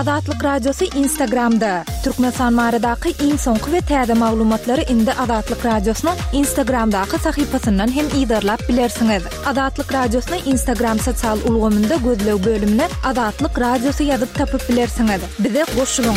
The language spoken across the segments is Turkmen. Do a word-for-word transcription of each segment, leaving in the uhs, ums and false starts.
Azatlyk Radiosy Instagramda. Türkmenistan baradaky iň soňky we täze maglumatlary indi Azatlyk Radiosynyň Instagramdaky sahypasyndan hem yzarlap bilersiňiz. Azatlyk Radiosyny Instagram sosial ulgamynda gözleg bölümine Azatlyk Radiosy ýazyp tapyp bilersiňiz. Bize goşulyň.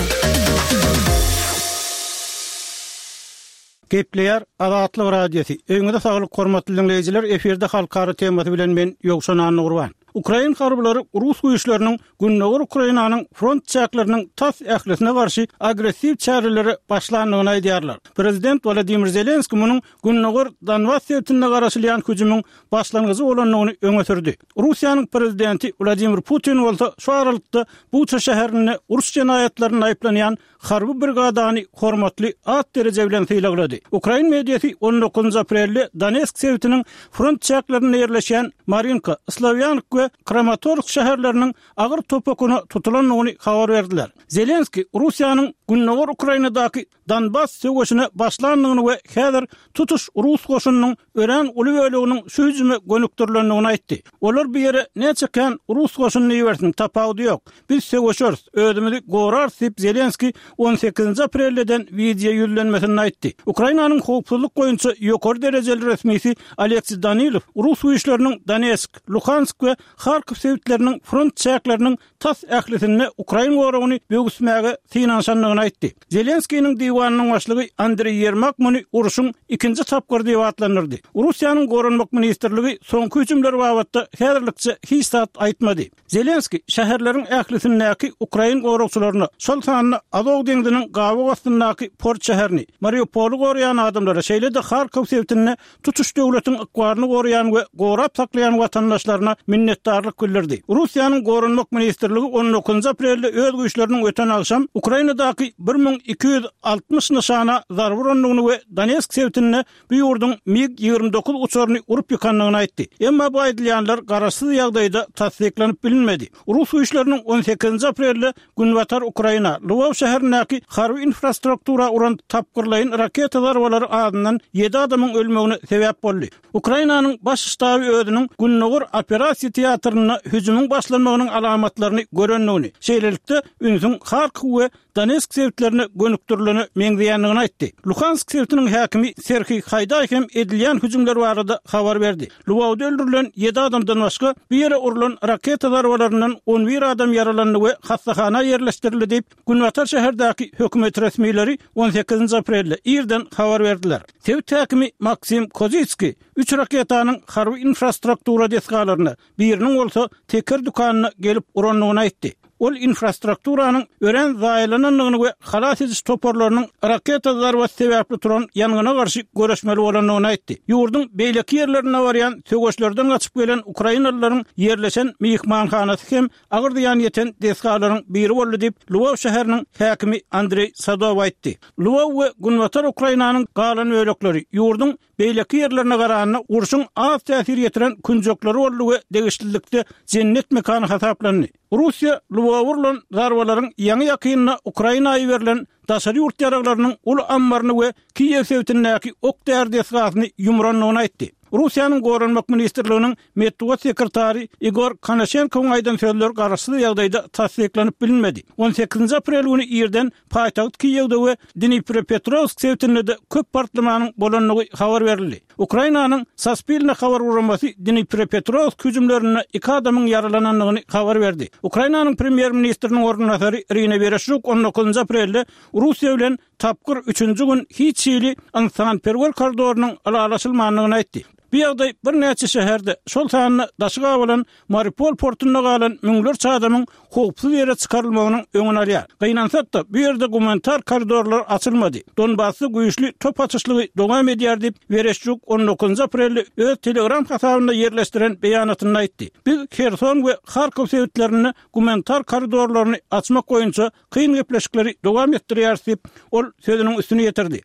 Gepleýär Azatlyk Radiosy. Öýüňize saglyk hormatly diňleýjiler, efirde halkara temasy bilen men Ýowşan Annagurban. Ukrain harbylary rus güýçleriniň Gündogar Ukrainanyň front çäkleriniň tas ählisine garşy agressiw çärelere başlandygyny aýdýarlar. Prezident Wladimir Zelenskiý munuň Gündogar Donbas sebitinde garaşylýan hüjümiň başlangyjy bolandygyny öňe sürdi. Russiýanyň prezidenti Wladimir Putin bolsa şu aralykda Buça şäherinde uruş jenaýatlarynda aýyplanýan harby brigadany hormatly at-dereje bilen sylaglady. Ukrain mediasy on dokuzynjy aprelde Donetsk sebitiniň front çäklerinde ýerleşýän Marinka, Slawýansk we Kramatorsk şäherleriniň agyr top okuna tutulandygyny habar berdiler. Zelenskiý Russiýanyň Gündogar Ukrainadaky Donbas söweşine başlandygyny we häzir tutuş rus goşunynyň örän uly böleginiň şu hüjüme gönükdirilendigini aýtdy. Olar bu ýere näçe kän rus goşunyny ibersin, tapawudy ýok. Biz söweşeris, özümizi gorarys diýip, Zelenskiý on sekizinji aprelde eden wideo ýüzlenmesinde aýtdy. Ukrainanyň howpsuzlyk boýunça ýokary derejeli resmisi Oleksiý Danilow rus güýçleriniň Donetsk, Luhansk we Harkow sebitleriniň front çäkleriniň tas ählisinde ukrain goragyny böwüsmäge synanyşandygyny aýtdy. Zelenskiniň diwanynyň başlygy Andreý Ýermak muny urşuň ikinji tapgyry diýip atlandyrdy. Russiýanyň Goranmak ministrligi soňky hüjümler babatda häzirlikçe hiç zat aýtmady. Zelenskiý şäherleriň ählisindäki ukrain goragçylaryna, şol sanda Azow deňziniň gabyk astyndaky port şäherini, Mariupoly goraýan adamlara, şeýle-de Harkow sebitinde tutuş döwletiň ykbalyny goraýan we gorap saklaýan watandaşlaryna minnetdarlyk bildirdi. Russiýanyň Goranmak ministrligi on dokuzynjy aprelde öz güýçleriniň öten agşam Ukrainadaky bir müň iki ýüz altmyş nyşana zarba urandygyny we Donetsk sebitinde bu ýurduň MiG ýigrimi dokuz uçaryny urup ýykandygyny aýtdy. Emma bu aýdylýanlar garaşsyz ýagdaýda tassyklanyp bilinmedi. Rus güýçleriniň on sekizinji aprelde Günbatar Ukraina, Lwow şäherindäki harby infrastruktura uran tapgyrlaýyn raketa zarbalary azyndan ýedi adamyň ölmegine sebäp boldy. Ukrainanyň Baş ştaby özüniň Gündogar operasiýa teatrynda hüjümiň başlanmagynyň alamatlaryny görendigini, şeýlelikde, ünsüň Harkow we Donetsk sebitlerine gönükdirilene meňzeýändigini aýtdy. Luhansk sebitiniň häkimi Serhiý Haýdaý hem edilýän hüjümler barada habar berdi. Lwowda öldürilen ýedi adamdan başga, bu ýere urlan raketa zarbalaryndan on bir adam ýaralandy we hassahana ýerleşdirildi diýip, günbatar şäherdäki hökümet resmileri on sekizinji aprelde irden habar berdiler. Sebit häkimi Maksim Kozitskiý üç raketanyň harby infrastruktura desgalaryna, biriniň bolsa teker dükanyna gelip urandygyny aýtdy. Ol infrastrukturanyň örän zaýalanandygyny we halas ediş toparlarynyň raketa zarbasy sebäpli turan ýangyna garşy göreşmeli bolandygyny aýtdy. Ýurduň beýleki ýerlerinde barýan söweşlerden gaçyp gelen ukrainalylaryň ýerleşen myhmanhanasy hem agyr zyýan ýeten desgalaryň biri boldy diýip, Lwow şäheriniň häkimi Andreý Sadow aýtdy. Lwow we günbatar Ukrainanyň galan bölekleri ýurduň beýleki ýerlerine garanda urşuň az täsir ýetiren künjekleri boldy we degişlilikde jennet mekany hasaplandy. Russiýa Lwowa urlan zarbalaryň ýaňy-ýakynda Ukraina iberilen daşary ýurt ýaraglarynyň uly ammaryny we Kiýew sebitindäki ok-däri desgasyny ýumrandygyny aýtdy. Russiýanyň Goranmak ministrliginiň metbugat sekretary Igor Konaşenkowyň aýdan sözleri garaşsyz ýagdaýda tassyklanyp bilinmedi. On sekizinji aprel güni irden paýtagt Kiýewde we Dniprepetrowsk sebitinde-de köp partlamanyň bolandygy habar berildi. Ukrainanyň Saspilne habar guramasy Dniprepetrowsk hüjümlerinde iki adamyň ýaralanandygyny habar berdi. Ukrainanyň premýer-ministriniň orunbasary Irina Wereşçuk on dokuzynjy aprelde Russiýa bilen tapgyr üçünji gün hiç hili ynsanperwer koridorynyň ylalaşylmandygyny aýtdy. Bu ýagdaý birnäçe şäherde, şol sanda daşy gabalan Mariupol portunda galan müňlerçe adamyň howpsuz ýere çykarylmagynyň öňüni alýar. Gynansak-da, bu ýerde gumanitar koridorlar açylmady. Donbasda güýçli top atyşlygy dowam edýär diýip, Wereşçuk on dokuzynjy aprelde öz Telegram hasabynda ýerleşdiren beýanatynda aýtdy. Biz Herson we Harkow sebitlerinde gumanitar koridorlaryny açmak boýunça kyn gepleşikleri dowam etdirýäris diýip, ol sözüniň üstüni ýetirdi.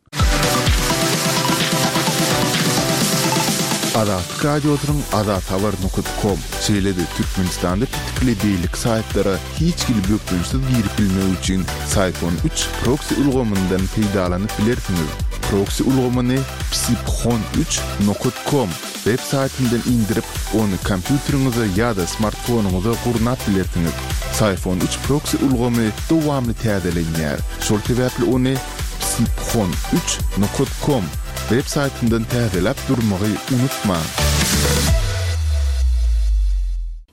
Azatlyk Radiosynyň azathabar nokat kom, şeýle-de Türkmenistanda petikli beýleki saýtlara hiç hili bökdençsiz girip bilmek üçin Syphon üç proksi ulgamyndan peýdalanyp bilersiňiz. Proksi ulgamyny psiphon üç nokat kom web saýtyndan indirip, ony kompýuteriňize ýa-da smartfonyňyza gurnap bilersiňiz. Psiphon üç proksi ulgamy dowamly täzelenýär. Şol sebäpli ony psiphon üç nokat com web saýtyndan täzeläp durmagy unutmaň.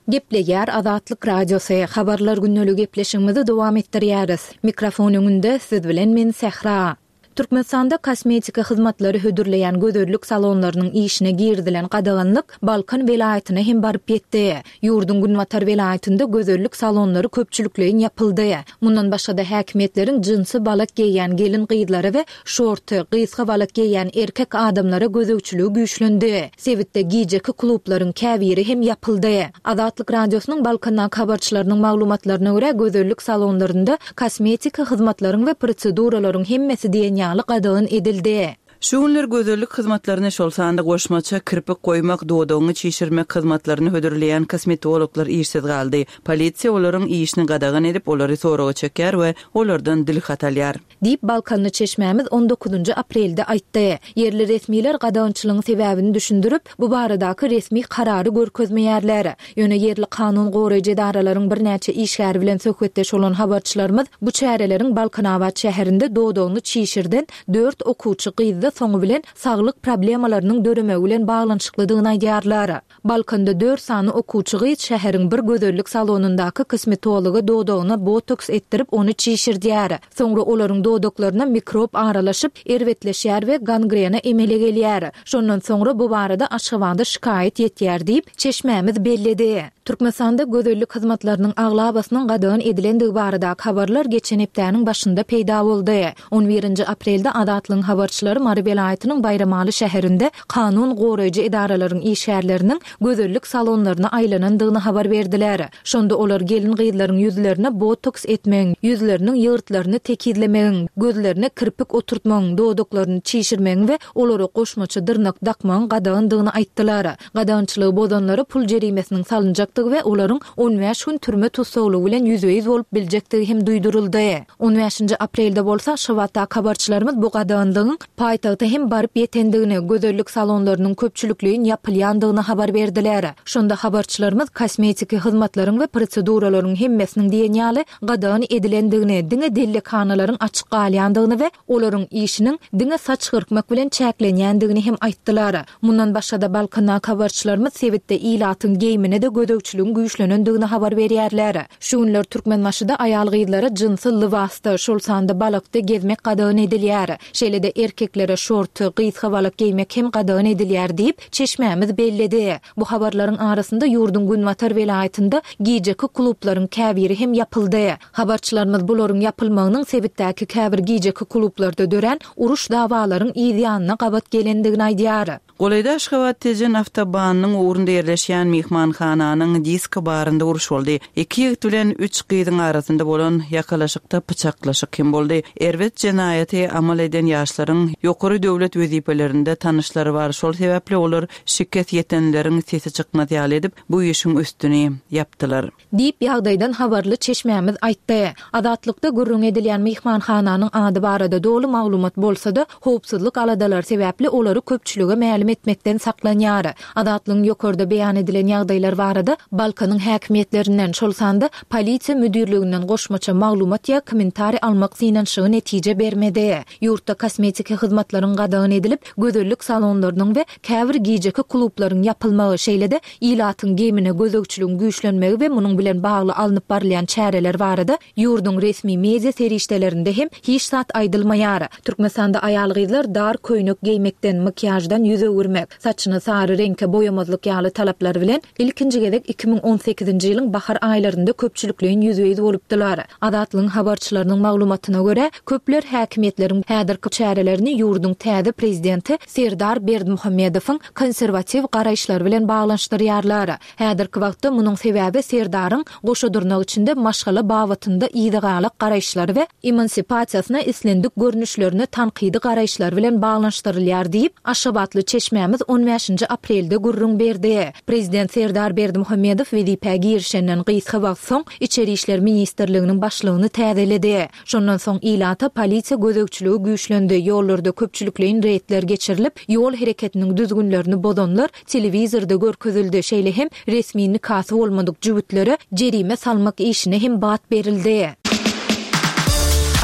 Gepleýär Azatlyk Radiosy. Habarlar gündelik gepleşigimizi dowam etdirýäris. Mikrofon öňünde siz bilen men Sähra. Türkmenistanda kosmetika hyzmatlary hödürleýän gözellik salonlarynyň işine girizilen gadaganlyk Balkan welaýatyna hem baryp ýetdi. Ýurduň günbatar welaýatynda gözellik salonlary köpçülikleýin ýapyldy. Mundan başga-da häkimiýetleriň jynsy balak geýýän gelin gyzlara we şorty, gysga balak geýýän erkek adamlara gözegçiligi güýçlendi. Sebitde gijeki klublaryň käbiri hem ýapyldy. Azatlyk Radiosynyň Balkandaky habarçylarynyň maglumatlaryna görä, gözellik salonlarynda kosmetika hyzmatlaryň we proseduralaryň hemmesi diýen ýaly gadagan edildi. Şu günler gözellik hyzmatlaryny şol sanda goşmaça kirpik goýmak, dodagyňy çişirmek hyzmatlaryny hödürleýän kosmetologlar işsiz galdy. Polisiýa olaryň işini gadagan edip, olary soraga çekýär we olardan dil hat alýar. Diýip, Balkanly çeşmämiz on dokuzynjy aprelde aýtdy. Ýerli resmiler gadagançylygyň sebäbini düşündirip, bu baradaky resmi karary görkezmeýärler. Ýöne ýerli kanun goraýjy edaralaryň birnäçe işgäri bilen söhbetdeş bolan habarçylarymyz bu çäreleriň Balkanabat şäherinde dodagyny çişirden dört okuwçy gyzda soňy bilen saglyk problemalarynyň döremegi bilen baglanyşyklydygyny aýdýarlar. Balkanda dört sany okuwçy gyz şäheriň bir gözellik salonyndaky kosmetologa dodagyna botoks etdirip ony çişirdýär. Soňra olaryň dodaklaryna mikrop aralaşyp, erbetleşýär we gangrena emele gelýär. Şondan soňra bu barada Aşgabada şikaýat ýetýär diýip, çeşmämiz belledi. Türkmenistanda gözellik hyzmatlarynyň aglabasynyň gadagan edilendigi baradaky habarlar geçen hepdäniň başynda peýda boldy. On birinji aprelde Azatlygyň habarçylary Mary welaýatynyň Baýramaly şäherinde kanun goraýjy edaralaryň işgärleriniň gözellik salonlaryna aýlanandygyny habar berdiler. Şonda olar gelin gyzlaryň ýüzlerine botoks etmegiň, ýüzleriniň ýygyrtlaryny tekizlemegiň, gözlerine kirpik oturtmagyň, dodaklaryny çişirmegiň we olara goşmaça dyrnak dakmagyň gadagandygyny aýtdylar. Gadagançylygy bozanlara pul jerimesiniň salynjakdygy we olaryň on bäş gün türme tussaglygy bilen ýüzbe-ýüz bolup biljekdigi hem duýduryldy. On bäşinji aprelde bolsa Aşgabatdaky habarçylarymyz bu gadaganlygyň paýtagta hem baryp ýetendigini, gözellik salonlarynyň köpçülikleýin ýapylýandygyny habar berdiler. Şonda habarçylarymyz kosmetiki hyzmatlaryň we proseduralaryň hemmesiniň diýen ýaly gadagan edilendigini, diňe dellekhanalaryň açyk galýandygyny we olaryň işiniň diňe saç gyrkmak bilen çäklenýändigini hem aýtdylar. Mundan başga-da Balkandaky habarçylarymyz sebitde ilatyň geýimine-de gözegçiligiň güýçlenendigini habar berýärler. Şu günler Türkmenbaşyda aýal gyzlara jynsy lybasda, şol sanda balakda gezmek gadagan edilýär. Şeýle-de erkeklere şorty, gysga balak geýmek hem gadagan edilýär diýip, çeşmämiz belledi. Bu habarlaryň arasynda ýurduň günbatar welaýatynda gijeki klublaryň käbiri hem ýapyldy. Habarçylarymyz bularyň ýapylmagynyň sebitdäki käbir gijeki klublarda dörän uruş dawalaryň yz ýanyna gabat gelendigini aýdýar. Golaýda Aşgabat Tejen awtobanynyň ugrunda ýerleşýän myhmanhananyň disko barynda uruş boldy. Iki ýigit bilen üç gyzyň arasynda bolan ýakalaşykda pyçaklaşyk hem boldy. Erbet jenaýaty amal eden ýaşlaryň ýokary döwlet wezipelerinde tanyşlary bar. Şol sebäpli olar şikes ýetenleriň sesi çykmaz ýaly edip, bu işiň üstüni ýapdylar. Diýip ýagdaýdan habarly çeşmämiz aýtdy. Azatlykda gürrüň edilýän myhmanhananyň ady barada doly maglumat bolsa-da, howpsuzlyk aladalary sebäpli olary köpçülige mälim etmekden saklanýar. Azatlygyň ýokarda beýan edilen ýagdaýlar barada Balkanyň häkimiýetlerinden, şol sanda polisiýa müdirliginden goşmaça maglumat ýa kommentariý almak synanyşygy netije bermedi. Ýurtda kosmetiki hyzmatlaryň gadagan edilip, gözellik salonlarynyň we käbir gijeki klublaryň ýapylmagy, şeýle-de ilatyň geýimine gözegçiligiň güýçlenmegi we munuň bilen bagly alnyp barylýan çäreler barada ýurduň resmi media serişdelerinde hem hiç zat aýdylmaýar. Türkmenistanda aýal gyzlar dar köýnek geýmekden, makiýajdan ýüz öwürmek, saçyny sary reňke boýamazlyk ýaly talaplar bilen ilkinji gezek iki müň on sekizinji ýylyň bahar aýlarynda köpçülikleýin ýüzbe-ýüz bolupdylar. Azatlygyň habarçylarynyň maglumatyna görä, köpler häkimiýetleriň häzirki çärelerini ýurduň täze prezidenti Serdar Berdimuhamedowyň konserwatiw garaýyşlary bilen baglanyşdyrýarlar. Häzirki wagtda munuň sebäbi Serdaryň goşa dyrnak içinde maşgala babatynda yzygalak garaýyşlary we emansipasiýasyna islendik görnüşlerine tankydy garaýyşlar bilen baglanyşdyrylýar diýip, Aşgabatly çeşmämiz on bäşinji aprelde gürrüň berdi. Prezident Serdar Berdimuhamedow wezipä girişenden gysga wagt soň Içeri işler ministrliginiň başlygyny täzeledi. Şondan soň ilata polisiýa gözegçiligi güýçlendi, ýollarda köpçülik Köpçülikleýin reýdler geçirilip, ýol hereketiniň düzgünlerini bozanlar telewizorda görkezildi, şeýle hem resmi nikasy bolmadyk jübütlere jerime salmak işine hem bat berildi.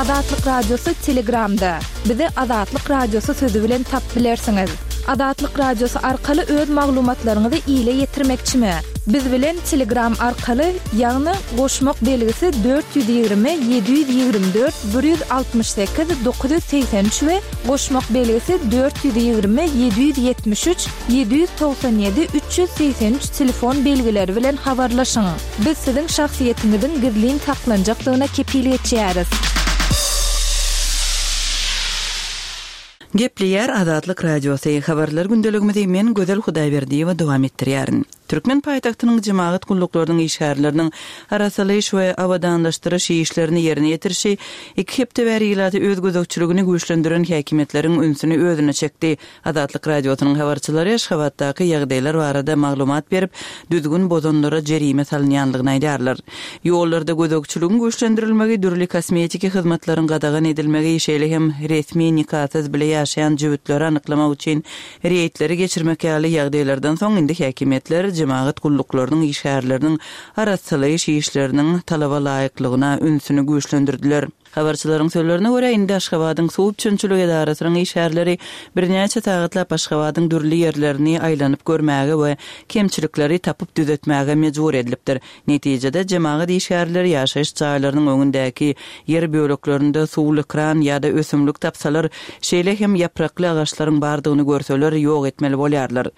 Azatlyk Radiosy Telegramda. Bizi Azatlyk Radiosy sözi bilen tapyp bilersiňiz. Azatlyk Radiosy arkaly öz maglumatlaryňyzy ile ýetirmekçimi? Biz bilen Telegram arkaly, ýagny goşmak belgisi dört ýüz ýigrimi ýedi ýüz ýigrimi dört bir ýüz altmyş sekiz dokuz ýüz segsen üç we goşmak belgisi dört ýüz ýigrimi ýedi ýüz ýetmiş üç ýedi ýüz togsan ýedi üç ýüz segsen üç telefon belgileri bilen habarlaşyň. Biz siziň şahsyýetiňiziň gizlin saklanjakdygyna kepil geçýäris. Gepleýär Azatlyk Radiosy. Habarlar gündeligimizi men Gözel Hudaýberdiýewa dowam etdirýärin. Türkmen paýtagtynyň jemagat gulluklarynyň işgärleriniň arasalaýyş we abadanlaşdyryş işlerini ýerine ýetirişi iki hepde bäri ilaty öz gözegçiligini güýçlendiren häkimiýetleriň ünsüni özüne çekdi. Azatlyk Radiosynyň habarçylary Aşgabatdaky ýagdaýlar barada maglumat berip, düzgün bozanlara jerime salynýanlygyny aýdýarlar. Ýollarda gözegçiligiň güýçlendirilmegi, dürli kosmetiki hyzmatlaryň gadagan edilmegi, şeýle hem resmi nikasyz bile ýaşaýan jübütleri anyklamak üçin reýdleri geçirmek ýaly ýagdaýlardan soň indi häkimiýetler jemagat gulluklarynyň işgärleriniň arasalaýyş işleriniň talaba laýyklygyna ünsüni güýçlendirdiler. Habarçylaryň sözlerine görä, indi Aşgabadyň suw üpjünçilik edarasynyň işgärleri birnäçe sagatlap Aşgabadyň dürli ýerlerini aýlanyp görmäge we kemçilikleri tapyp düzetmäge mejbur edilipdir. Netijede, jemagat işgärleri ýaşaýyş jaýlarynyň öňündäki ýer böleklerinde suwly kran ýa-da ösümlik tapsalar, şeýle hem ýaprakly agaçlaryň bardygyny görseler, ýok etmeli bolýarlar.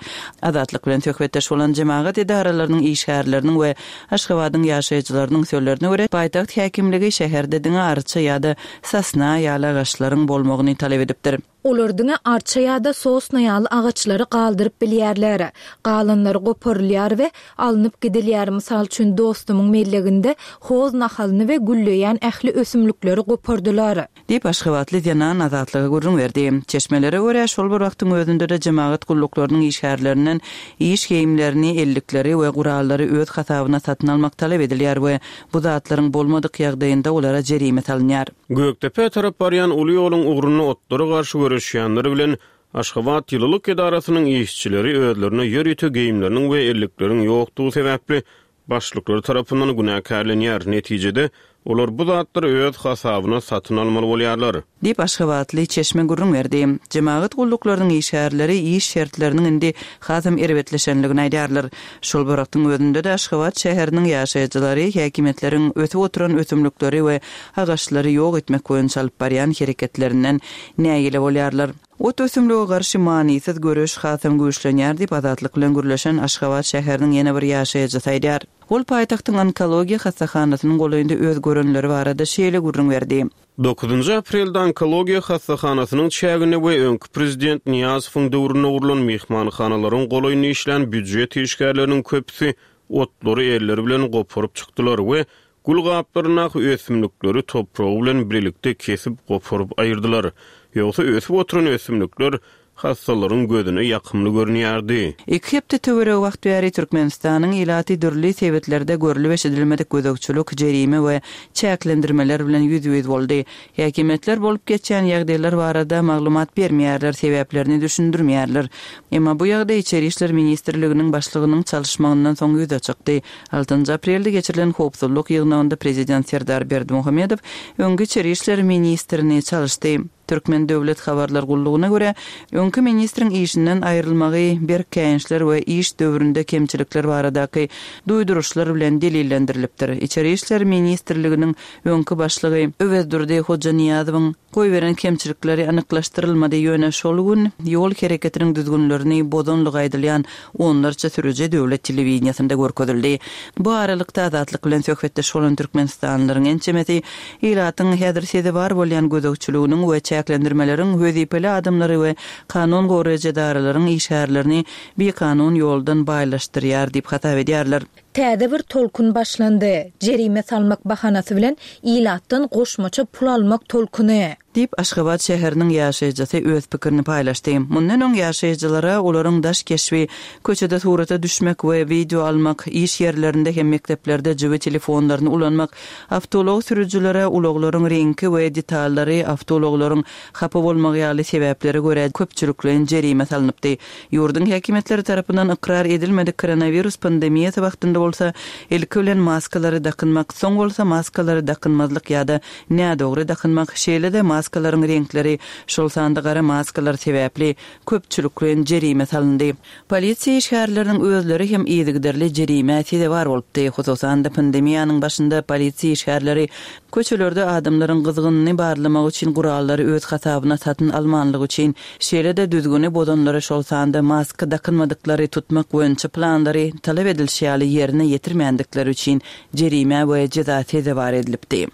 Azatlyk bilen söhbetdeş bolan jemagat edaralarynyň işgärleriniň we Aşgabadyň ýaşaýjylarynyň sözlerine görä, paýtagt häkimligi şäherde diňe arça ýa-da sosna ýaly agaçlaryň bolmagyny talap edipdir. Olar diňe arça ýa-da sosna ýaly agaçlary galdyryp bilýärler. Galanlary goparylýar we alnyp gidilýär. Mysal üçin, dostumyň melleginde hoz nahalyny we gülleýän ähli ösümlikleri gopardylar. Diýip, aşgabatly zenan Azatlyga gürrüň berdi. Çeşmelere görä, şol bir wagtyň özünde-de jemagat gulluklarynyň işgärlerinden iş geýimlerini, ellikleri we gurallary öz hasabyna satyn almak talap edilýär we bu zatlaryň bolmadyk ýagdaýynda olara jerime salynýar. Gökdepä tarap barýan uly ýoluň ugrunda otlara garşy göreşýänler bilen Aşgabat ýylylyk edarasynyň işçileri özlerine ýörite geýimleriniň we ellikleriň ýokdugy sebäpli başlyklary tarapyndan günäkärlenýär. Netijede, olar bu zatlary öz hasabyna satyn almaly bolýarlar. Diýip, aşgabatly çeşme gürrüň berdi. Jemagat gulluklarynyň işgärleri iş şertleriniň indi hasam erbetleşenligini aýdýarlar. Şol bir wagtyň özünde-de Aşgabat şäheriniň ýaşaýjylary häkimiýetleriň ösüp oturan ösümlikleri we agaçlary ýok etmek boýunça alyp barýan hereketlerinden nägile bolýarlar. Ot ösümlige garşy manysyz göreş hasam güýçlenýär diýip, Azatlyk bilen gürleşen Aşgabat şäheriniň ýene bir ýaşaýjysy aýdýar. Ol paýtagtyň onkologiýa hassahanasynyň golaýynda öz görenleri barada şeýle gürrüň berdi. Dokuzynjy aprelde onkologiýa hassahanasynyň çäginde we öňki prezident Nyýazowyň döwründe gurlan myhmanhanalaryň golaýynda işlän býujet işgärleriniň köpüsi otlary elleri bilen goparyp çykdylar we gül gaplaryndaky ösümlikleri topragy bilen birlikde kesip goparyp aýyrdylar. Ýogsa ösüp oturan ösümlikler hassalaryň gözüne ýakymly görünýärdi. Iki hepde töweregi wagt bäri Türkmenistanyň ilaty dürli sebetlerde görlüp eşidilmedik gözegçilik, jerime we çäklendirmeler bilen ýüzbe-ýüz boldy. Häkimiýetler bolup geçýän ýagdaýlar barada maglumat bermeýärler, sebäplerini düşündirmeýärler. Emma bu ýagdaý Içeri işler ministrliginiň başlygynyň çalyşmagyndan soň ýüze çykdy. Altynjy aprelde geçirilen howpsuzlyk ýygnagynda prezident Serdar Berdimuhamedow öňki Içeri işler ministrini çalyşdy. Türkmen döwlet habarlar gullugyna görä, öňki ministriň işinden aýrylmagy berk käýinçler we iş döwründe kemçilikler baradaky duýduryşlar bilen delillendirilipdir. Içeri işler ministrliginiň öňki başlygy Öwezdurdy Hojanyýazowyň goýberen kemçilikleri anyklaşdyrylmady, ýöne şol gün ýol hereketiniň düzgünlerini bozanlygy aýdylýan onlarça sürüji döwlet telewideniýesinde görkezildi. Bu aralykda Azatlyk bilen söhbetdeş bolan türkmenistanlylaryň ençemesi ilatyň häzir sezewar bolýan gözegçiliginiň we çäklendirmeleriň wezipeli adamlary we kanun goraýjy edaralaryň işgärlerini bikanun ýoldan baýlaşdyrýar diýip hasap edýärler. Täze bir tolkun başlandy. Jerime salmak bahanasy bilen ilatdan goşmaça pul almak tolkuny. Diýip, Aşgabat şäheriniň ýaşaýjysy öz pikirini paýlaşdy. Mundan öň ýaşaýjylara olaryň daş keşbi, köçede surata düşmek we wideo almak, iş ýerlerinde hem mekdeplerde jübi telefonlaryny ulanmak, awtoulag sürüjilere ulaglaryň reňki we detallary, awtoulaglaryň hapa bolmagy ýaly sebäplere görä köpçülikleýin jerime salnypdy. Ýurduň häkimiýetleri tarapyndan ykrar edilmedik koronawirus pandemiýasy wagtynda bolsa ilki bilen maskalary dakynmak, soň bolsa maskalary dakynmazlyk ýa-da nädogry dakynmak, şeýle-de maskalaryň reňkleri, şol sanda gara maskalar sebäpli köpçülikleýin jerime salyndy. Polisiýa işgärleriniň özleri hem yzygiderli jerimä sezewar bolupdy. Hususan-da pandemiýanyň başynda polisiýa işgärleri köçelerde adamlaryň gyzgynyny barlamak üçin gurallary öz hasabyna satyn almanlygy üçin, şeýle-de düzgüni bozanlary, şol sanda maska dakynmadyklary tutmak boýunça planlary talap edilişi ýaly ýerine ýetirmändikleri üçin jerimä we jeza sezewar edilipdi.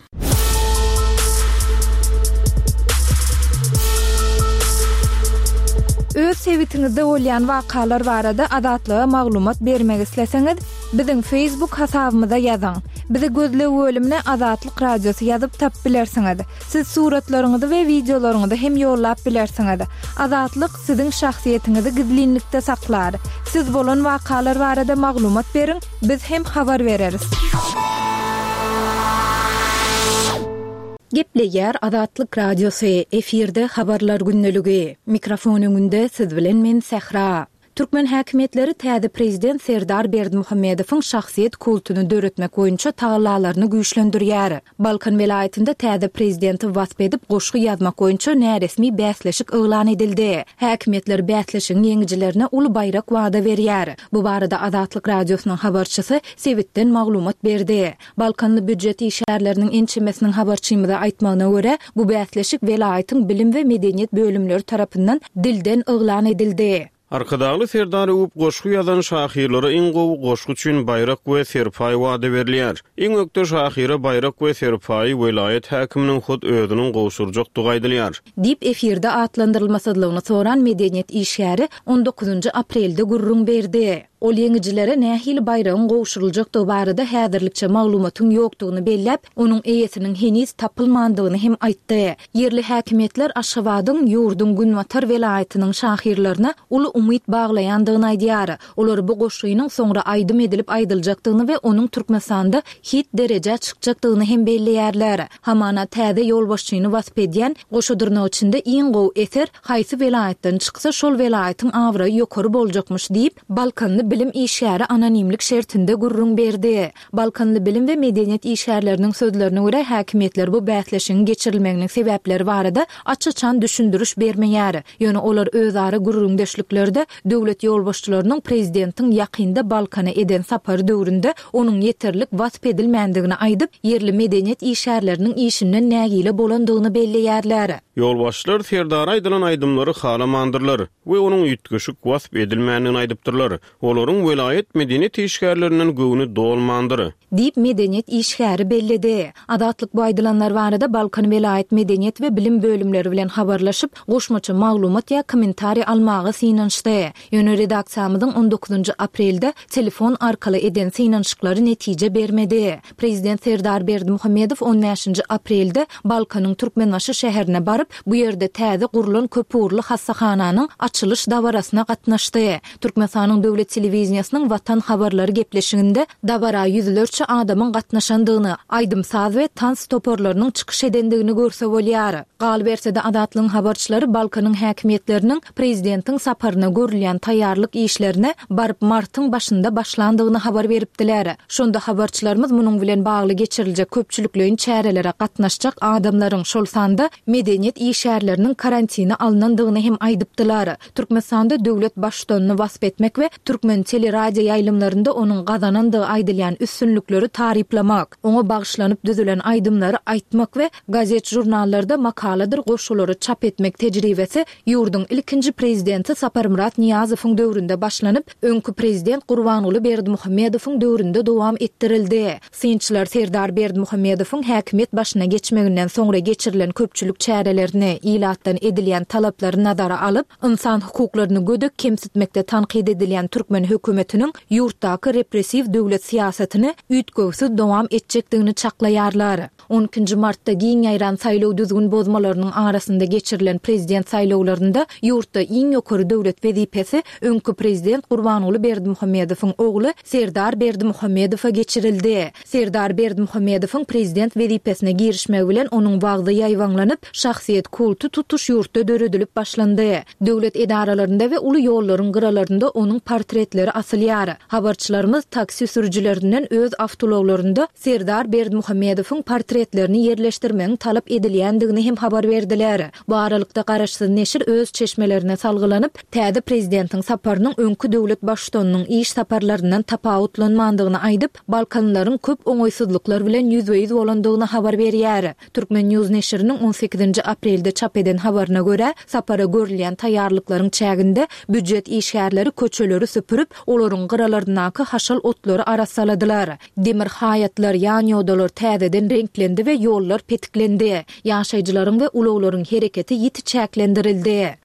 Öz sebitiňizde bolýan wakalar barada Azatlyga maglumat bermek isleseňiz, biziň Facebook hasabymyza ýazyň. Bizi gözleg bölümine Azatlyk Radiosy ýazyp tapyp bilersiňiz. Siz suratlaryňyzy we wideolaryňyzy hem ýollap bilersiňiz. Azatlyk siziň şahsyýetiňizi gizlinlikde saklar. Siz bolan wakalar barada maglumat beriň, biz hem habar bereris. Gepleýär Azatlyk Radiosy, efirde habarlar gündeligi. Mikrofon öňünde siz bilen men Sähra. Türkmen häkimiýetleri täze prezident Serdar Berdimuhamedowyň şahsyýet kultuny döretmek boýunça tagallalaryny güýçlendirýär. Balkan welaýatynda täze prezidenti wasp edip goşgy ýazmak boýunça näresmi bäsleşik yglan edildi. Häkimiýetler bäsleşigiň ýeňijilerine uly baýrak wada berýär. Bu barada Azatlyk Radiosynyň habarçysy sebitden maglumat berdi. Balkanly býujet işgärleriniň ençemesiniň habarçymyza aýtmagyna görä, bu bäsleşik welaýatyň bilim we medeniýet bölümleri tarapyndan dilden yglan edildi. Arkadagly Serdar öwüp goşgy ýazan şahyrlara iň gowy goşgy üçin baýrak we serpaý wada berilýär. Iň ökde şahyra baýrak we serpaýy welaýat häkiminiň hut özüniň gowşurjakdygy aýdylýar. Diýip efirde atlandyrylmasyzlygyny soran medeniýet işgäri on dokuzynjy aprelde gürrüň berdi. Ol ýeňijilere nähili baýragyň gowşuryljakdygy barada häzirlikçe maglumatyň ýokdugyny belläp, onuň eýesiniň heniz tapylmandygyny hem aýtdy. Ýerli häkimiýetler Aşgabadyň ýurduň Günbatar welaýatynyň şahyrlaryna uly umyt baglaýandygyny aýdýar. Olar bu goşgynyň soňra aýdym edilip aýdyljakdygyny we onuň Türkmenistanda hit derejä çykjakdygyny hem belleýärler. Hamana täze ýolbaşçyny wasp edýän goşa dyrnak içinde iň gowy eser haýsy welaýatdan çyksa şol welaýatyň abraýy ýokary boljakmyş diýip, Balkanly bilim işgäri anonimlik şertinde gürrüň berdi. Balkanly bilim we medeniýet işgärleriniň sözlerine görä häkimiýetler bu bäsleşigiň geçirilmeginiň sebäpleri barada aç-açan düşündiriş bermeýär. Ýöne olar özara gürrüňdeşliklerde döwlet ýolbaşçylarynyň prezidentiň ýakynda Balkana eden sapary döwründe onuň ýeterlik wasp edilmändigini aýdyp, ýerli medeniýet işgärleriniň işinden nägile bolandygyny belleýärler. Ýolbaşçylar Serdara aýdylan aýdymlary halamandyrlar we onuň üýtgeşik wasp edilmändigini aýdypdyrlar. Olaryň welaýat medeniýet işgärlerinden göwni dolmandyr. Diýip medeniýet işgäri belledi. Azatlyk bu aýdylanlar barada Balkan welaýat medeniýet we bilim bölümleri bilen habarlaşyp, goşmaça maglumat ýa kommentariý almaga synanyşdy. Ýöne redaksiýamyzyň on dokuzynjy aprelde telefon arkaly eden synanyşyklary netije bermedi. Prezident Serdar Berdimuhamedow on bäşinji aprelde Balkanyň Türkmenbaşy şäherine baryp, bu ýerde täze gurlan köpugurly hassahananyň açylyş dabarasyna gatnaşdy. Türkmenistanyň döwlet telewizýasynyň Watan habarlary gepleşiginde dabara ýüzlerçe adamyň gatnaşandygyny, aýdym-saz we tans toparlarynyň çykyş edendigini görse bolýar. Galyberse-de Azatlygyň habarçylary Balkanyň häkimiýetleriniň prezidentiň saparyna görülýän taýýarlyk işlerine baryp martyň başynda başlandygyny habar beripdiler. Şonda habarçylarymyz munuň bilen bagly geçiriljek köpçülikleýin çärelere gatnaşjak adamlaryň, şol sanda medeniýet işgärleriniň karantine alnandygyny hem aýdypdylar. Türkmenistanda döwlet baştutanyny wasp etmek we türkmen teleradio ýaýlymlarynda onuň gazanandygy aýdylýan üstünlikleri taryplamak, oňa bagyşlanyp düzülen aýdymlary aýtmak we gazet-žurnallarda makaladyr goşgulary çap etmek tejribesi ýurduň ilkinji prezidenti Saparmyrat Nyýazowyň döwründe başlanyp, öňki prezident Gurbanguly Berdimuhamedowyň döwründe dowam etdirildi. Synçylar Serdar Berdimuhamedowyň häkimiýet başyna geçmeginden soňra geçirilen köpçülik çärelerini, ilatdan edilýän talaplary nazara alyp, insan hukuklaryny gödek kemsitmekde tankyt edilýän türkmen hökümetiniň ýurtdaky repressiw döwlet syýasatyny üýtgewsiz dowam etjekdigini çaklaýarlar. On ikinji martda giň ýaýran saýlaw düzgün bozmalarynyň arasynda geçirilen prezident saýlawlarynda ýurtda iň ýokary döwlet wezipesi öňki prezident Gurbanguly Berdimuhamedowyň ogly Serdar Berdimuhamedowa geçirildi. Serdar Berdimuhamedowyň prezident wezipesine girişmegi bilen onuň wagzy ýaýbaňlanyp, şahsyýet kulty tutuş ýurtda döredilip başlandy. Döwlet edaralarynda we uly ýollaryň gyralarynda onuň portretleri asylýar. Habarçylarymyz taksi sürüjilerinden öz awtoulaglarynda Serdar Berdimuhamedowyň portretlerini ýerleşdirmegiň talap edilýändigini hem habar berdiler. Bu aralykda garaşsyz neşir öz çeşmelerine salgylanyp, täze prezidentiň saparynyň öňki döwlet baştutanynyň iş saparlaryndan tapawutlanmandygyny aýdyp, Balkanlaryň köp oňaýsyzlyklar bilen ýüzbe-ýüz bolandygyny habar berýär. Türkmen News neşiriniň on sekizinji aprelde çap eden habaryna görä, sapara görülýän taýýarlyklaryň çäginde býujet işgärleri köçeleri süpürip, olaryň gyralaryndaky haşal otlary arassaladylar. Demir haýatlar, ýan ýodalar täzeden reňklendi we ýollar petiklendi. Ýaşaýjylaryň we ulaglaryň hereketi ýiti çäklendirildi.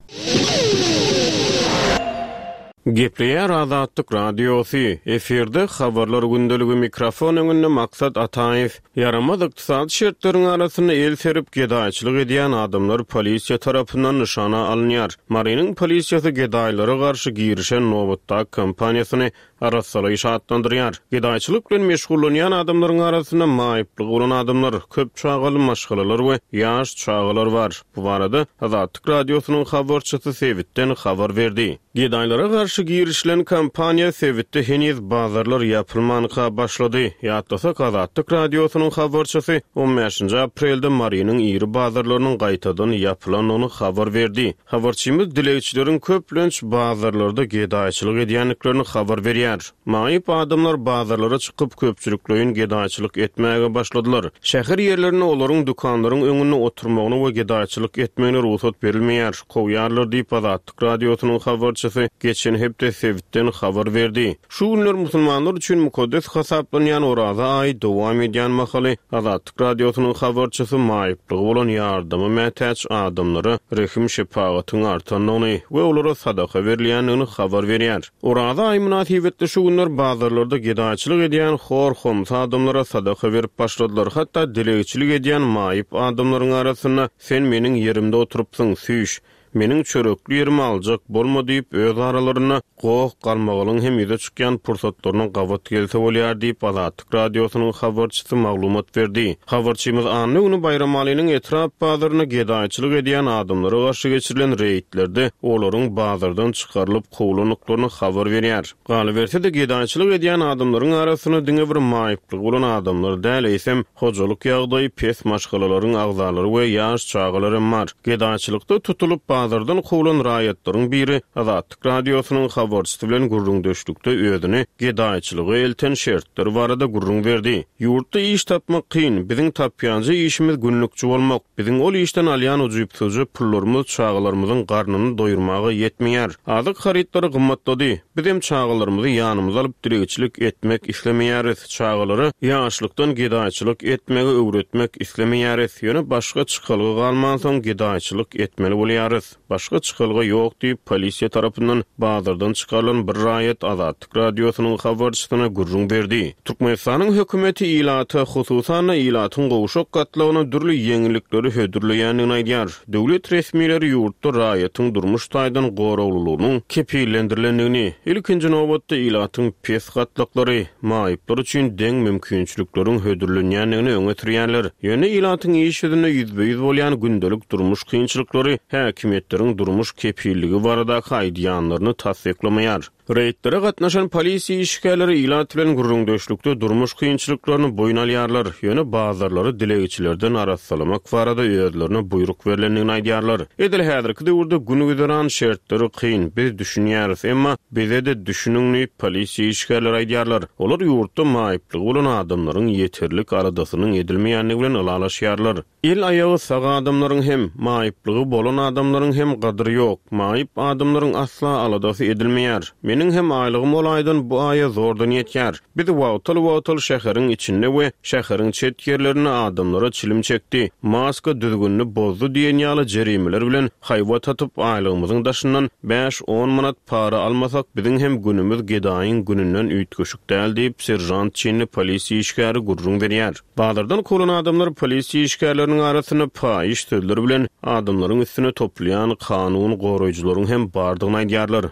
Gepleýär Azatlyk Radiosy, efirde habarlar gündeligi, mikrofon öňünde Maksat Ataýew. Ýaramaz ykdysady şertleriň arasynda el serip gedaýçylyk edýän adamlar polisiýa tarapyndan nyşana alynýar. Marynyň polisiýasy gedaýlara garşy girişen nobatdaky kampaniýasyny arassalaýyş atlandyrýar. Gedaýçylyk bilen meşgullanýan adamlaryň arasynda maýyplygy bolan adamlar, köp çagaly maşgalalar we ýaş çagalar bar. Bu barada Azatlyk Radiosynyň habarçysy sebitden habar berdi. Gedaýlara garşy girişilen kampaniýa sebitde heniz bazarlar ýapylmanka başlady. Ýatlasak, Azatlyk Radiosynyň habarçysy on bäşinji aprelde Marynyň iri bazarlarynyň gaýtadan ýapylandygyny habar berdi. Habarçymyz dilegçileriň köplenç bazarlarda gedaýçylyk edýändiklerini habar berýär. Maýyp adamlar bazarlara çykyp köpçülikleýin gedaýçylyk etmäge başladylar. Şäher ýerlerinde olaryň dükanlaryň öňünde oturmagyna we gedaýçylyk etmegine rugsat berilmeýär. Kowýarlar diýip Azatlyk Radiosynyň habarçysy geçen hepde sebitden habar berdi. Şu günler musulmanlar üçin mukaddes hasaplanýan Oraza aýy dowam edýän mahaly Azatlyk Radiosynyň habarçysy maýyplygy bolan ýardama mätäç adamlara rehim şepagatyň artandygyny we olara sadaka berilýändigini habar berýär. Oraza aýy mynasybetli şu günler bazarlarda gedaýçylyk edýän hor-homsy adamlara sadaka berip başladylar. Hatda dilegçilik edýän maýyp adamlaryň arasynda sen meniň ýerimde oturypsyň, süýş, meniň çörekli ýerimi aljak bolma diýip öz aralarynda goh galmagalyň hem ýüze çykýan pursatlaryna gabat gelse bolýar diýip Azatlyk Radiosynyň habarçysy maglumat berdi. Habarçymyz anna güni Baýramalynyň etrap bazaryna gedaýçylyk edýän adamlara garşy geçirilen reýdlerde olaryň bazardan çykarylyp kowlandyklaryny habar berýär. Galyberse-de gedaýçylyk edýän adamlaryň arasynda diňe bir maýyplygy bolan adamlar däl, eýsem hojalyk ýagdaýy pes maşgalalaryň agzalary we ýaş çagalar hem bar. Gedaýçylykda tutulyp bazardan kowlan raýatlaryň biri Azatlyk Radiosynyň habarçysy bilen gürrüňdeşlikde özüni gedaýçylyga elten şertler barada gürrüň berdi. Ýurtda iş tapmak kyn, biziň tapýanjy işimiz günlükçi bolmak, biziň ol işden alýan ujypsyzja pullarymyz çagalarymyzyň garnyny doýurmaga ýetmeýär. Azyk harytlary gymmatlady. Bizem çagalarymyzy ýanymyza alyp dilegçilik etmek islemeýäris. Çagalara ýaşlykdan gedaýçylyk etmegi öwretmek islemeýäris. Ýöne başga çykalga galmansoň gedaýçylyk etmeli bolýarys. Başga çykalga ýok diýip polisiýa tarapyndan bazardan çykarylan bir raýat Azatlyk Radiosynyň habarçysyna gürrüň berdi. Türkmenistanyň hökümeti ilata, hususan ilatyň gowşak gatlagyna dürli ýeňillikleri hödürleýändigini aýdýar. Döwlet resmileri ýurtda raýatyň durmuş taýdan goraglylygynyň kepillendirilendigini, ilkinji nobatda ilatyň pes gatlaklary, maýyplar üçin deň mümkinçilikleriň hödürlenýändigini öňe sürýärler. Ýöne ilatyň iş ýüzünde ýüzbe-ýüz bolýan gündelik durmuş kynçylyklary häkimiýetleriň durmuş kepilligi baradaky aýdýanlaryny tassyklamaýar. Reýdlere gatnaşan polisiýa işgärleri ilat bilen gürrüňdeşlikde durmuş kynçylyklaryny boýun alýarlar. Ýöne bazarlary dilegçilerden arassalamak barada özlerine buýruk berlendigini aýdýarlar. Edil häzirki döwürde gün güzeran şertleri kyn, biz düşünýäris, emma bize de düşüniň diýip polisiýa işgärleri aýdýarlar. Olar ýurtda maýyplygy bolan adamlaryň ýeterlik aladasynyň edilmeýändigi bilen ylalaşýarlar. El aýagy sag adamlaryň hem, maýyplygy bolan adamlaryň hem gadyry ýok. Maýyp adamlaryň asla aladasy edilmeýär. Meniň hem aýlygym ol aýdan bu aýa zordan ýetýär. Biz wagtal-wagtal şäheriň içinde we şäheriň çet ýerlerinde adamlara çilim çekdi, maska düzgünini bozdy diýen ýaly jerimeler bilen haýbat atyp, aýlygymyzyň daşyndan bäş-on manat para almasak, biziň hem günümiz gedaýyň gününden üýtgeşik däl diýip, seržant çinli polisiýa işgäri gürrüň berýär. Bazardan kowlan adamlar polisiýa işgärleriniň arasynda paýyş sözler bilen adamlaryň üstüne topulýan kanun goraýjylaryň hem bardygyny aýdýarlar.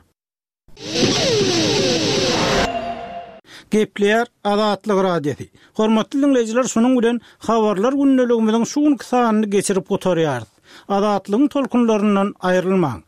Gepleýär Azatlyk Radiosy. Hormatly diňleýjiler, şunuň bilen Habarlar gündeligimiziň şu günki sanyny geçirip gutarýarys. Azatlygyň tolkunlaryndan aýrylmaň.